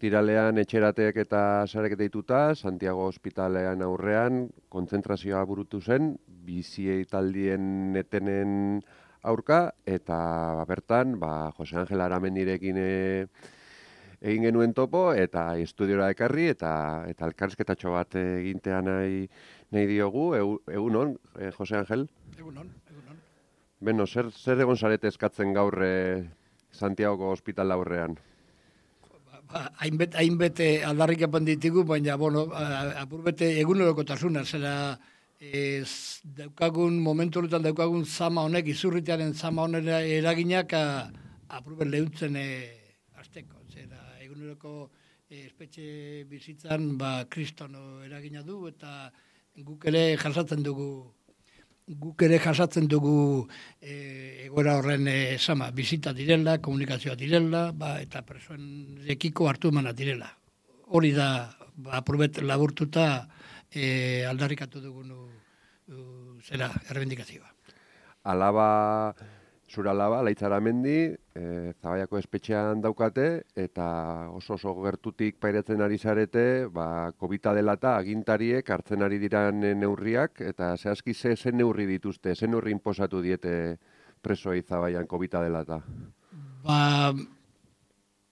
ostiralean etxerateak eta sareketa dituta, Santiago ospitalean aurrean kontzentrazioa burutu zen, bizi taldien etenen aurka, eta bertan, Jose Angel Aramendirekin egin genuen topo, eta estudiora ekarri, eta elkarrizketatxo bat egintea nahi diogu. Egunon, Jose Angel? Egunon. Beno, zer egon zarete eskatzen gaur Santiago ospital aurrean? Hainbete aldarrikapen ditugu, baina, apurbete egunerokotasuna, zera momentu honetan daukagun zama honek, izurritearen zama honen eraginak apurbet lehuntzen azteko. Zera eguneroko espetxe bizitzan kristono eragina du, eta guk ere jasatzen dugu egoera horren zama, bizita direla, komunikazioa direla, eta presoen ekiko hartu emana direla. Hori da, apurbet laburtuta aldarrikatu dugun errebindikazioa. Zura alaba, Laitz Aramendi, Zabaiako espetxean daukate, eta oso gertutik pairatzen ari zarete, COVID dela eta agintariek hartzen ari diran neurriak, eta zehazki ze neurri dituzte, ze neurri inposatu diete presoei Zabaian COVID dela eta?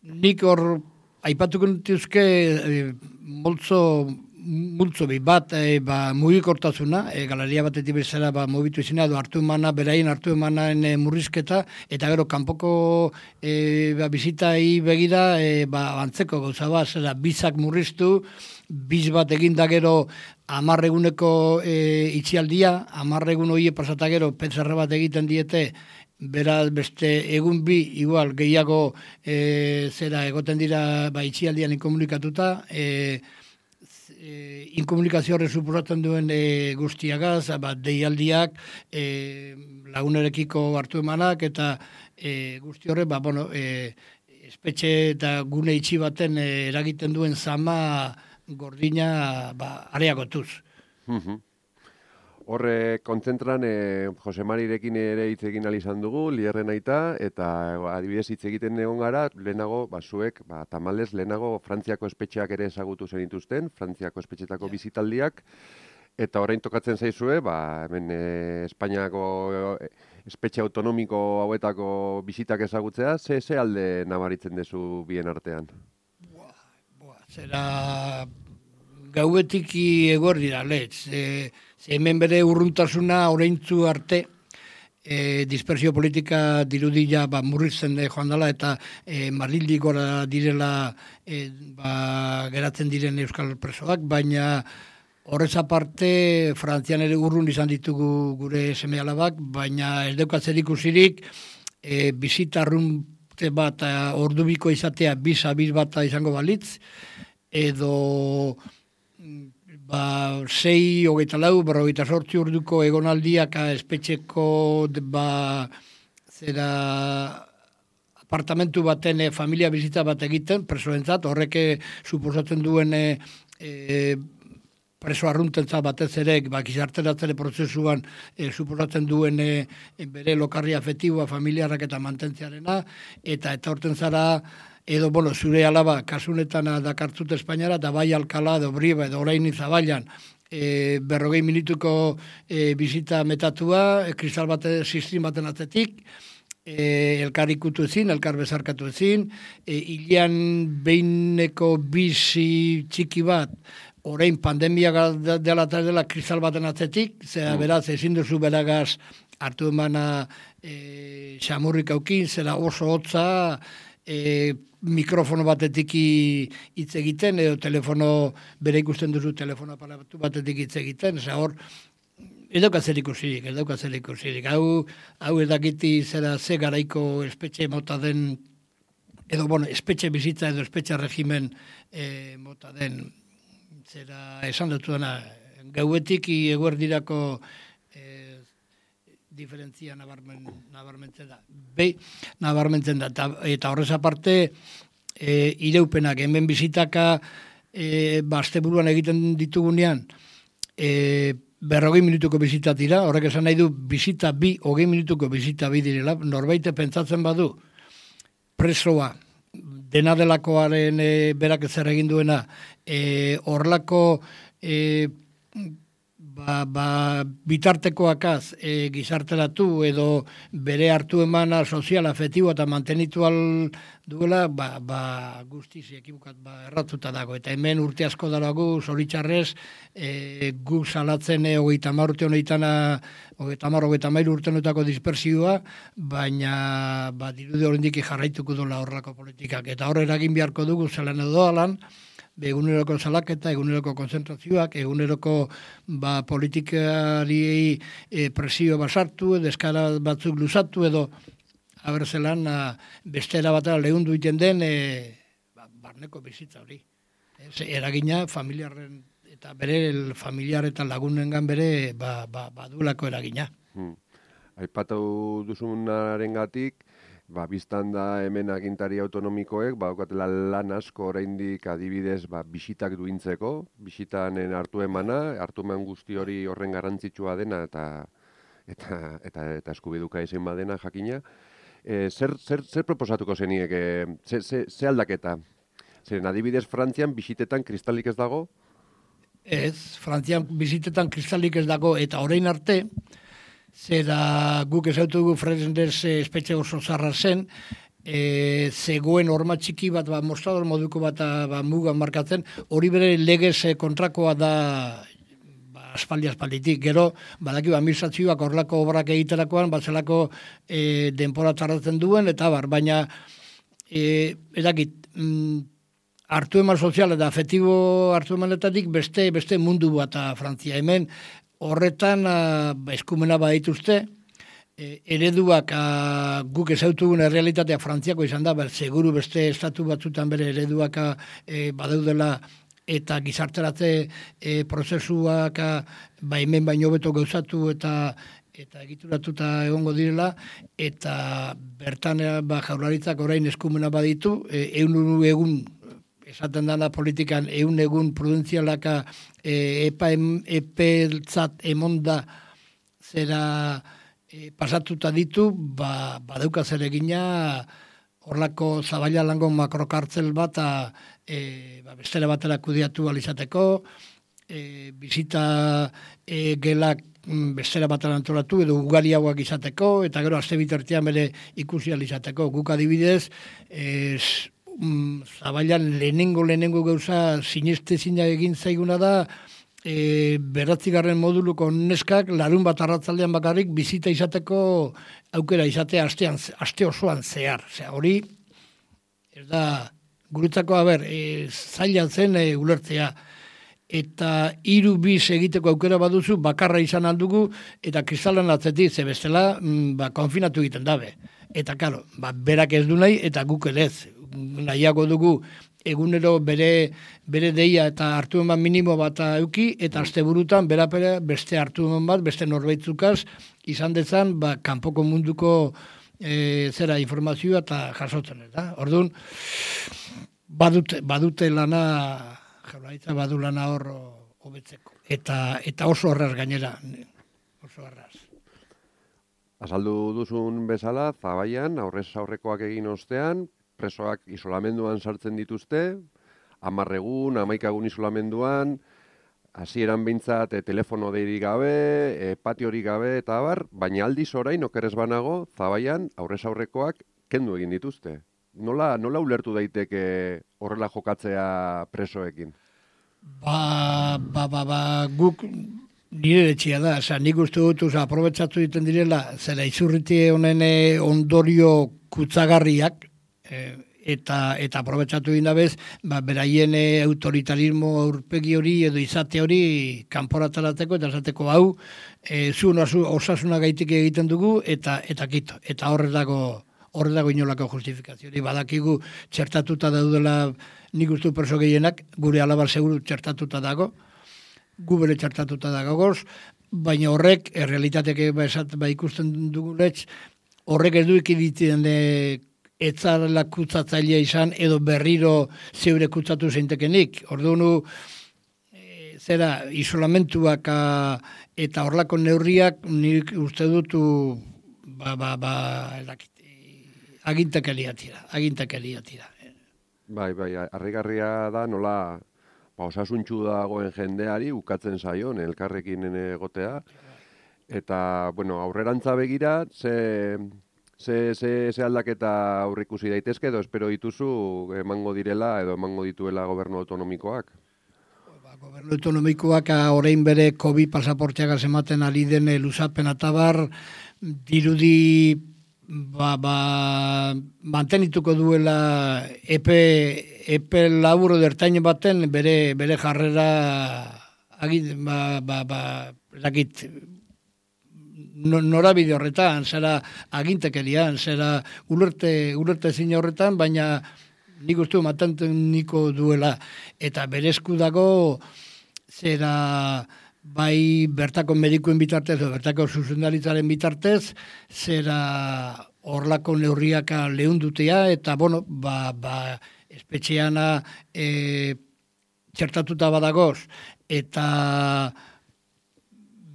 Nik hor aipatuko nituzke multzo bat mugikortasuna, galeria batetik bezala mugitu izena, beraien hartu emanen murrizketa, eta gero kanpoko bizitai begira antzeko gauza bat, zera bizak murriztu, biz bat eginda gero 10 eguneko itxialdia, 10 egun hori pasata gero PCR bat egiten diete, beraz beste egun bi igual gehiago egoten dira itxialdian inkomunikatuta, inkomunikazio horre suposatzen duen guztiagaz, deialdiak, lagunerekiko hartu emanak, eta guzti horre, espetxe eta gune itxi baten eragiten duen zama gordina areagotuz. Horre kontzentran Jose Marirekin ere hitz egin izan dugu, Lierren aita, eta adibidez hitz egiten egon gara, lehenago, zuek, tamalez, lehenago Frantziako espetxeak ere ezagutu zenituzten, Frantziako espetxetako bizitaldiak, eta orain tokatzen zaizue, hemen Espainiako espetxe autonomiko hauetako bizitak ezagutzea, ze alde nabaritzen dezu bien artean? Zera gauetik egor dira, letz. Hemen bere urruntasuna oraintzu arte, dispersio politika dirudia murrizten joan dela, eta Madrildik gora direla geratzen diren euskal presoak, baina horrez aparte Frantzian ere urrun izan ditugu gure seme-alabak, baina ez daukatzen ikusirik bizitarrunte bat ordubiko izatea biz bat izango balitz, edo 6, 24, 48 orduko egonaldiak espetxeko apartamentu baten familia bizita bat egiten, presoentzat, horrek suposatzen duen preso arruntentzat batez ere, gizarteratzere prozesuan suposatzen duen bere lokarri afektiboa, familiarrak eta mantentziarena, eta horten zara, edo, zure alaba, kasunetan dakartzut Espainiara, eta bai Alkala, edo Briba, edo orain Zabaian, 40 minutuko bizita metatua, kristal bate, sistin baten atzetik, elkar ikutu ezin, elkar bezarkatu ezin, hilean behineko bizi txiki bat, orain pandemia dela eta dela kristal baten atzetik, zera beraz ezin duzu beragaz hartu emana xamurrik aukin, zera oso hotza, mikrofono batetik hitz egiten, edo telefono, bere ikusten duzu telefono aparatu batetik hitz egiten, hor, ez daukatzen ikusirik. Hau ez dakiti zera ze garaiko espetxe mota den, edo, espetxe bizitza edo espetxe regimen mota den, zera esan dutu dena, gauetik eguerdirako diferentzia nabarmentzen da. Nabarmentzen da. Eta horrez aparte, ireupenak, hemen bizitaka asteburuan egiten ditugunean, 40 minutuko bizita dira, horrek esan nahi du bizita 20 minutuko bizita bi direla, norbaite pentsatzen badu, presoa, dena delakoaren berak zer egin duena, horrelako bitartekoakaz gizarteratu edo bere hartu emana sozial, afektibo eta mantenitu duela, guztiz ekibukat erratuta dago. Eta hemen urte asko daragu, zoritxarrez, guk salatzen 30 urte honetan, 30 urtenutako dispersioa, baina dirude horrendik jarraituko duela horrelako politikak. Eta hor eragin beharko dugu zelan edo alan, eguneroko salaketa, eguneroko konzentrazioak, eguneroko politikari presio basartu, deskara batzuk luzatu edo abertzelan bestera batera lehundu iten den barneko bizitza hori. Eragina familiarren eta bere familiar eta lagunengan bere badulako eragina. Aipatu duzunarengatik, biztan da hemen agintari autonomikoek, daukatela lan asko oraindik adibidez bisitak duintzeko, bisitanen hartu eman guzti hori horren garrantzitsua dena eta eskubiduka izan badena jakina. Zer proposatuko zeniek, ze aldaketa? Zeren adibidez Frantzian bisitetan kristalik ez dago? Ez, Frantzian bisitetan kristalik ez dago eta orain arte, zera guk ezautu dugu Fresnes espetxe oso zarra zen, zegoen horma txiki bat, mostrador moduko bat mugan markatzen, hori bere legez kontrakoa da aspalditik. Gero, badaki administrazioak horrelako obrak egiterakoan, batzelako denpora tardatzen duen, eta baina edakit, hartu eman sozial eta afektibo hartu emanetatik beste mundu bat Frantzia. Hemen horretan eskumena badituzte, ereduak guk ezautugun errealitatea Frantziako izan da, seguru beste estatu batzutan bere ereduak badaudela eta gizarteratze prozesuak hemen baino beto gauzatu eta egituratuta egongo direla, eta bertan jaurlaritzak orain eskumena baditu, egun esaten dana politikan egun prudentzialaka epeltzat emonda zera pasatuta ditu, badauka zer egina horlako zabaila lango makrokartzel bat bestera batera kudiatu alizateko, bizita gelak bestera batera antolatu edo ugariagoak izateko, eta gero aste bitartean bere ikusi alizateko. Guk adibidez, zabailan lehenengo gauza sinestezina egin zaiguna da, 9. moduluko neskak larun bat arratzaldean bakarrik bizita izateko aukera izatea aste osoan zehar. Hori, ez da, guretzako, zaila zen ulertzea. Eta 3 bis egiteko aukera baduzu, bakarra izan aldugu, eta kristalan atzetik, ze bestela, konfinatu egiten dabe. Eta, karo, berak ez du nahi, eta guk ere ez. Nahiago dugu egunero bere deia eta hartu eman minimo bat euki, eta asteburutan berapera beste hartu eman bat, beste norbaitzukaz, izan dezan, kanpoko munduko informazioa eta jasotzen ez da. Orduan, badute lana, jaurlaritza badu lana hor hobetzeko. Eta oso horraz gainera, oso horraz. Azaldu duzun bezala, Zabaian, aurrez aurrekoak egin ostean, presoak isolamenduan sartzen dituzte, 10 egun, 11 egun isolamenduan, hasieran behintzat telefono deirik gabe, patiorik gabe eta baina aldiz orain okerez banago, Zabaian aurrez aurrekoak kendu egin dituzte. Nola ulertu daiteke horrela jokatzea presoekin? Guk nire etxia da, nik uste dut, aprobetsatu egiten direla, zera izurriti honen ondorio kutsagarriak, eta aprobetsatu egin dabez, beraien autoritarismo aurpegi hori edo izate hori kanporataratzeko eta esateko hau, osasuna gaitik egiten dugu eta kito. Eta horre dago inolako justifikazio. Badakigu txertatuta daudela nik uste perso gehienak, gure alabar seguru txertatuta dago, gu bere txertatuta dagoz, baina horrek, errealitatek ikusten duguletz, horrek ez du ikiditzen etzarela kutsatzailea izan edo berriro zeure kutsatu zeintekenik. Orduan, isolamentuak eta horlako neurriak nik uste dutu agintakeria tira. Bai, harrigarria da nola osasuntsu dagoen jendeari ukatzen zaion elkarrekin egotea. Eta, bueno, aurrerantza begira, ze aldaketa aurrikusi daitezke edo espero dituzu emango direla edo emango dituela gobernu autonomikoak? Gobernu autonomikoak orain bere COVID pasaporteak ematen ari den luzapen atabar dirudi mantenituko duela epe laburo dertain baten bere jarrera norabide horretan, zera agintekerian, zera ulerte zine horretan, baina nik uste manteniko duela. Eta berezku dago, zera bai bertako medikuen bitartez, bertako zuzendaritzaren bitartez, zera horlako neurriak lehundutea, eta, bueno, espetxeana txertatuta badagoz, eta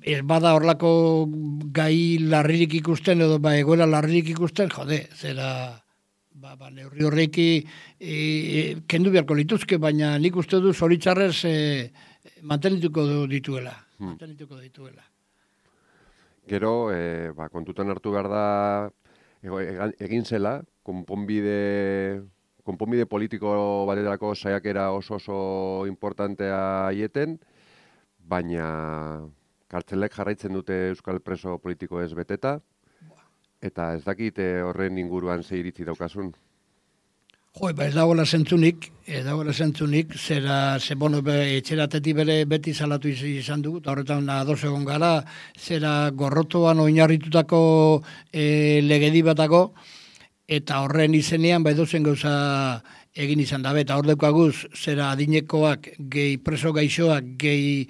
ez bada horlako gai larririk ikusten edo egoera larririk ikusten, jode, zera neurri horreiki kendu beharko lituzke, baina nik uste du zoritzarrez mantenituko dituela. Gero, kontutan hartu behar da egin zela, konponbide politiko baterako saiakera oso importantea aieten, baina kartzelek jarraitzen dute euskal preso politiko ez beteta, eta ez dakit horren inguruan ze iritzi daukasun. Ez dagoela zentzunik, etxeratetik beti salatu izan dugu, eta horretan ados egon gara, zera gorrotoan oinarritutako legedi batako, eta horren izenean dozen gauza egin izan dabe, eta hor deukaguz, zera adinekoak, gehi preso gaixoak, gehi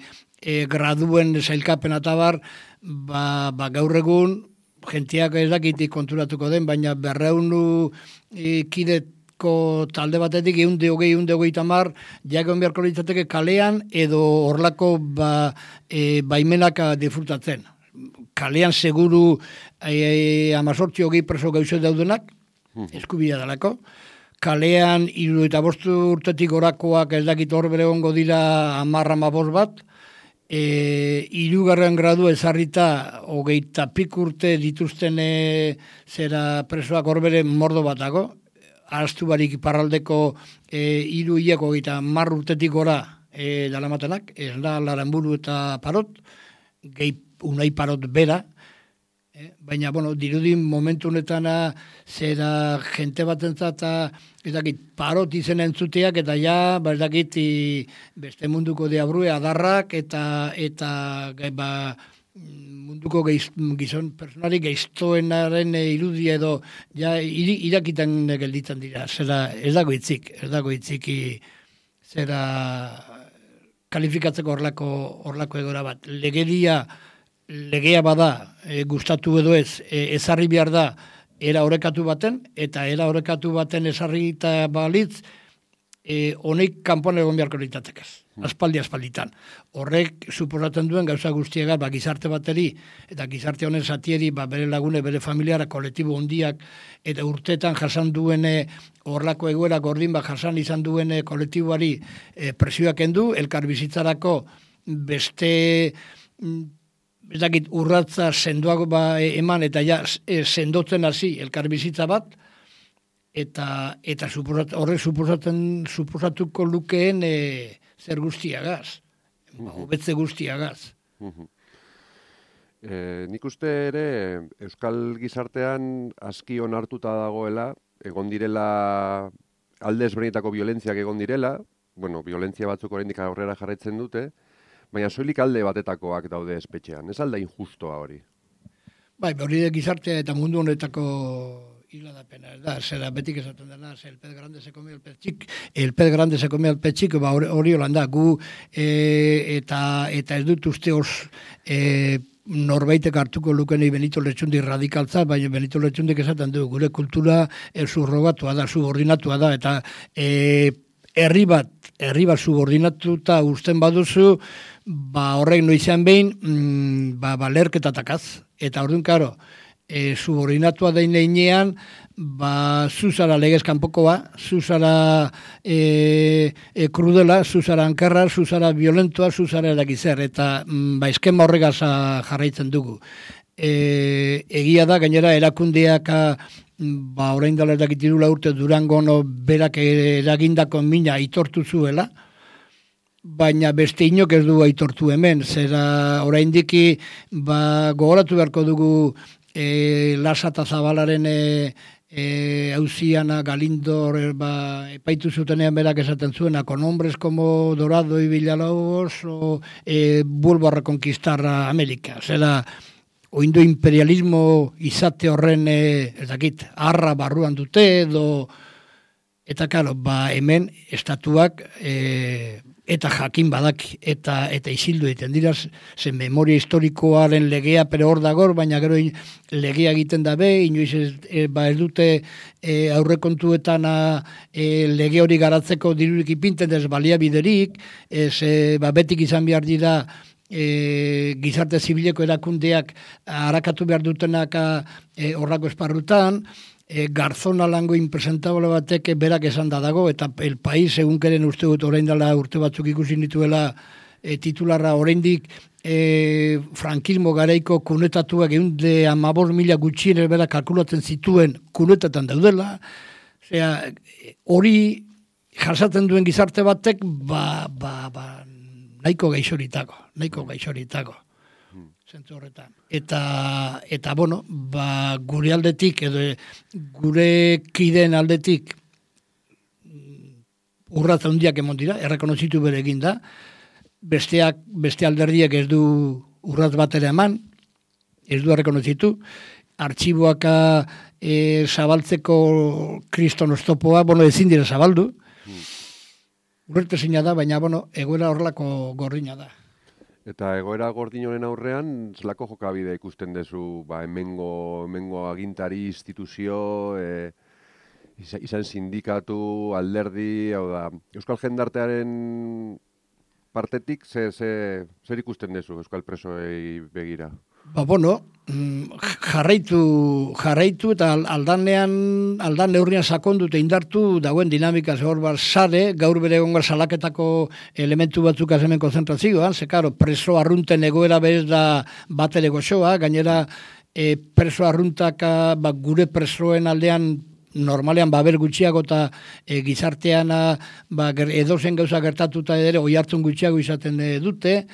graduen zailkapen eta gaur egun, jentiak ez dakitik konturatuko den, baina 200 kideko talde batetik 120 mar, jagon beharko litzateke kalean edo horlako baimenak disfrutatzen. Kalean seguru 18 preso gaixo daudenak, eskubidea dalako. Kalean 75 urtetik orakoak ez dakit hor bere ongo dira 10-15 bat, 3. gradu ezarrita 20 pik urte dituzten zera presoak horbere mordo batago, araztu barik iparraldeko 3 hileko 10 urtetik gora dalamatenak, ez da Laranburu eta Parot, gehi unai Parot bera, baina, bueno, dirudin momentu honetan zera jente batentzat Parot izen entzuteak, eta ja, beste munduko diabrue, adarrak, eta munduko gizon personari geiztoenaren irudia edo ja irakitan gelditzen dira. Zera, ez dago itzik, zera kalifikatzeko horlako egora bat. Legea bada, gustatu edo ez, ezarri behar da, era orekatu baten, eta era orekatu baten ezarri eta balitz, honek kanpoan egon beharko litatekez, aspalditan. Horrek suposatzen duen gauza guztiagat, gizarte bateri, eta gizarte honen zatieri, bere lagune, bere familiara, kolektibo hondiak, eta urteetan jasan duen horlako egoera gordin jasan izan duen kolektiboari presioak endu, elkar bizitzarako beste ez dakit urratza sendoago eman eta ja sendotzen hasi elkarbizitza bat, eta horrek suposatuko lukeen zer guztiagaz, hobetze guztiagaz. Nik uste ere euskal gizartean aski onartuta dagoela, egon direla alde ezberdinetako violentziak egon direla, bueno, violentzia batzuk oraindik aurrera jarraitzen dute, baina soilik alde batetakoak daude espetxean. Ez alda injustoa hori? Hori de gizartea eta mundu honetako hiladapena, ez da, zera betik esaten dena, el pez grande se come el pez chico, hori holanda, gu eta ez dut uste norbaitek hartuko lukenei Benito Lertxundi radikaltza, baina Benito Lertxundik esaten du, gure kultura subrogatua da, subordinatua da, eta herri bat subordinatuta usten baduzu, horrek noizean behin, lerketatakaz. Eta orduan, karo, subordinatua den heinean, zuzara legez kanpokoa, zuzara krudela, zuzara ankerra, zuzara violentoa, zuzara erakizer, eta eskema horregaz jarraitzen dugu. Egia da, gainera, erakundeak orain dela edakitirula urte Durangon berak eragindako mina aitortu zuela, baina beste inok ez du aitortu hemen, zera oraindiki gogoratu beharko dugu Lasa eta Zabalaren auziana Galindor epaitu zutenean berak esaten zuena, con hombres como Dorado y Villalobos vuelvo a reconquistar América, zera oindo imperialismo izate horren arra barruan dute edo eta karo, hemen estatuak eta jakin badak eta isildu egiten dira, zen memoria historikoaren legea pero hor dagor, baina gero legea egiten dabe, inoiz ez dute aurrekontuetan lege hori garatzeko dirurik ipinten ez baliabiderik, betik izan behar dira gizarte zibileko erakundeak harakatu behar dutenak horrako esparrutan, Garzona lango impresentable batek berak esan dago, eta El País egunkeren uste dut orain dela urte batzuk ikusi nituela titularra oraindik frankismo garaiko kunetatuak 115.000 gutxien berak kalkulatzen zituen kunetatan daudela, hori jasaten duen gizarte batek nahiko gaixoritako. Zentzu horretan. Eta bueno, gure aldetik, edo gure kideen aldetik urratz handiak emon dira, errekonozitu bere egin da, beste alderdiek ez du urratz batera eman, ez du errekonozitu, artxiboak zabaltzeko kriston oztopoa, ezin dira zabaldu, urretezina da, baina egoera horrelako gordina da. Eta egoera gordinoren aurrean, zelako jokabide ikusten duzu, hemengo agintari, instituzio, izan sindikatu, alderdi, hau da, Euskal Jendartearen partetik, zer ikusten duzu Euskal presoei begira? Jarraitu eta aldan neurrian sakondu eta indartu dagoen dinamika hor sare, gaur bere egongar salaketako elementu batzuk hemen konzentrazioan, karo, preso arrunten egoera bez da bat ere goxoa, gainera preso arruntak gure presoen aldean normalean baber gutxiago eta gizartean edozen gauza gertatuta ere oi hartzun gutxiago izaten dute,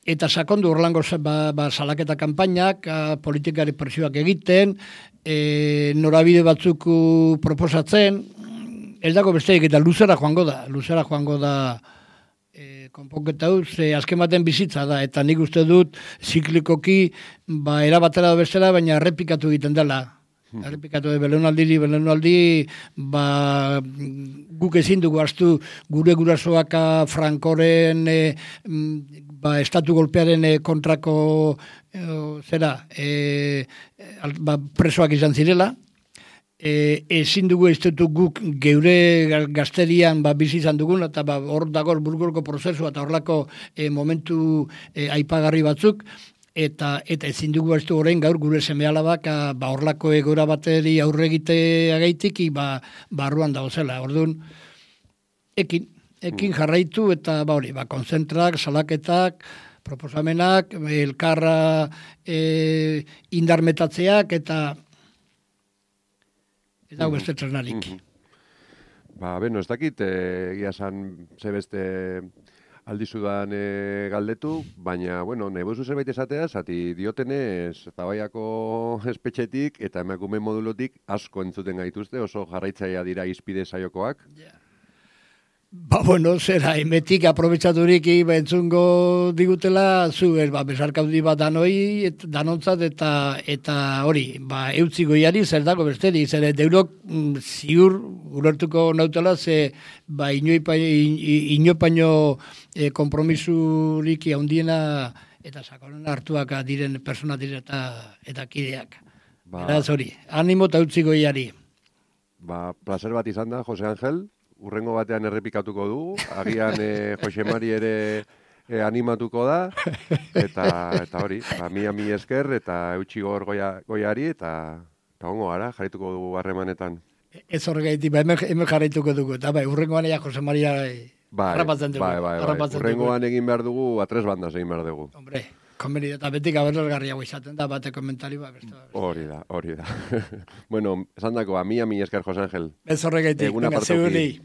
eta sakondu orlango salaketa kanpainak, politikari presioak egiten, norabide batzuk proposatzen, ez dago besteik eta luzera joango da konponketa hau, azken baten bizitza da, eta nik uste dut ziklikoki erabatera da bestela, baina errepikatu egiten dela. Errepikatu belaunaldi, guk ezin dugu hartu gure gurasoak Frankoren estatu golpearen kontrako presoak izan zirela, ezin dugu estatu guk geure gazterian bizi izan dugun, eta hor dago burgorko prozesu eta horlako momentu aipagarri batzuk, eta ezin dugu ez du orain gaur gure seme-alabak horlako egora bateri aurre egitea gaitik barruan dauzela. Orduan, ekin jarraitu eta konzentrak, salaketak, proposamenak, elkarra indarmetatzeak eta ez dago beste tresnarik. Ez dakit, egia esan zebeste aldizudan galdetu, baina, nebuzu zerbait esatea, zati diotenez Zabaiako espetxetik eta emakume modulotik asko entzuten gaituzte, oso jarraitzaia dira izpide saiokoak. Zera, emetik aprobetsaturik entzungo digutela, besarkaudi bat danontzat eta hori, eutzi goiari zer dago besteri, zer deurok ziur ulertuko nautela, ze inopaino kompromisuriki handiena eta sakonen hartuak diren persona dire eta kideak. Beraz hori, animo eta eutzi goiari. Placer bat izan da, Jose Angel. Urrengo batean errepikatuko dugu, agian Jose Mari ere animatuko da, eta hori, mi esker, eta eutxi gor goiari, eta ongo gara, jarrituko dugu harremanetan. Ez horregaitik, hemen jarraituko dugu, eta urrengoan ea Jose Maria harrapatzen dugu. Urrengoan egin behar dugu, a tres bandas egin behar dugu. Hombre, konbeni eta betik aberrasgarriago izaten da, bate komentari Hori da. Bueno, esan dako, mi esker, Jose Angel. Ez horregaitik, venga, zeuri.